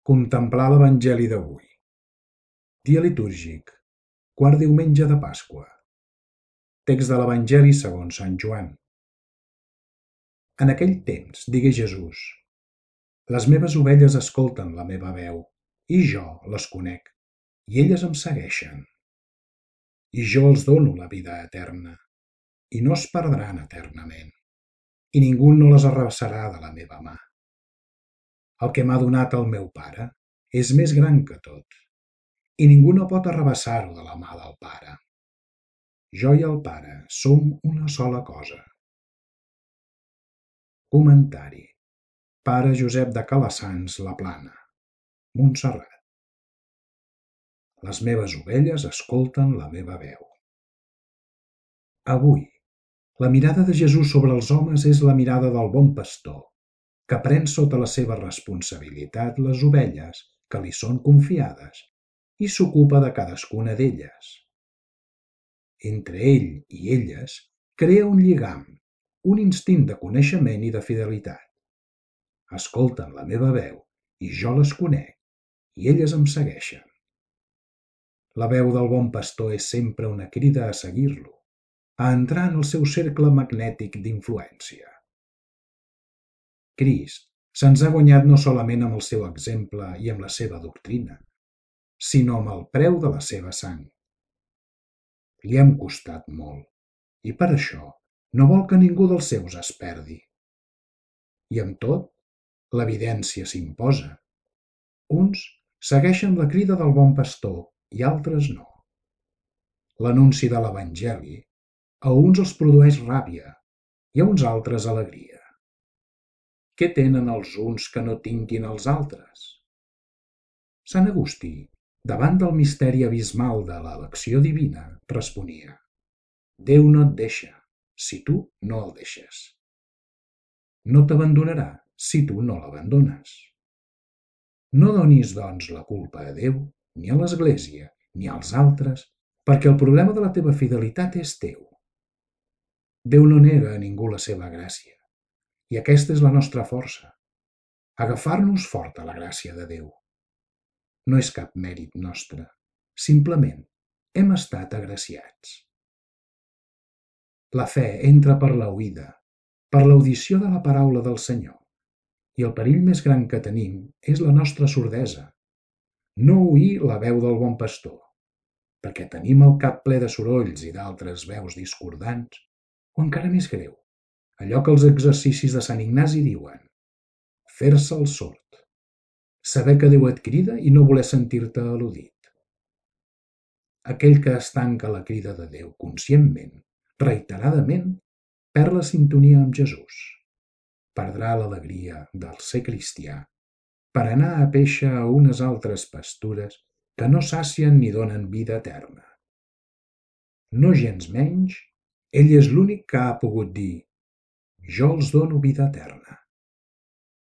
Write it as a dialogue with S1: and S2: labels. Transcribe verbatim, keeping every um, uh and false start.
S1: Contemplar l'Evangeli d'avui. Dia litúrgic, quart diumenge de Pasqua. Text de l'Evangeli segons Sant Joan. En aquell temps digué Jesús: Les meves ovelles escolten la meva veu, i jo les conec, i elles em segueixen. I jo els dono la vida eterna, i no es perdran eternament, i ningú no les arrabassarà de la meva mà. El que m'ha donat el meu Pare és més gran que tot, i ningú no pot arrabassar-ho de la mà del Pare. Jo i el Pare som una sola cosa. Comentari. Pare Josep de Calassanç, La Plana, Montserrat. Les meves ovelles escolten la meva veu. Avui, la mirada de Jesús sobre els homes és la mirada del bon pastor, que pren sota la seva responsabilitat les ovelles que li són confiades i s'ocupa de cadascuna d'elles. Entre ell i elles crea un lligam, un instint de coneixement i de fidelitat. Escolten la meva veu i jo les conec, i elles em segueixen. La veu del bon pastor és sempre una crida a seguir-lo, a entrar en el seu cercle magnètic d'influència. Crist se'ns ha guanyat no solament amb el seu exemple i amb la seva doctrina, sinó amb el preu de la seva sang. Li hem costat molt, i per això no vol que ningú dels seus es perdi. I amb tot, l'evidència s'imposa. Uns segueixen la crida del bon pastor i altres no. L'anunci de l'Evangeli a uns els produeix ràbia i a uns altres alegria. Què tenen els uns que no tinguin els altres? Sant Agustí, davant del misteri abismal de l'elecció divina, responia: Déu no et deixa, si tu no el deixes. No t'abandonarà si tu no l'abandones. No donis, doncs, la culpa a Déu, ni a l'Església, ni als altres, perquè el problema de la teva fidelitat és teu. Déu no nega a ningú la seva gràcia, i aquesta és la nostra força, agafar-nos fort a la gràcia de Déu. No és cap mèrit nostre, simplement hem estat agraciats. La fe entra per l'oïda, per l'audició de la paraula del Senyor, i el perill més gran que tenim és la nostra sordesa, no oir la veu del bon pastor, perquè tenim el cap ple de sorolls i d'altres veus discordants, o encara més greu, allò que els exercicis de Sant Ignasi diuen: fer-se el sord, saber que Déu et crida i no voler sentir-te al·ludit. Aquell que es tanca a la crida de Déu conscientment, reiteradament, perd la sintonia amb Jesús. Perdrà l'alegria del ser cristià per anar a péixer a unes altres pastures que no sacien ni donen vida eterna. No gens menys, ell és l'únic que ha pogut dir: jo els dono vida eterna.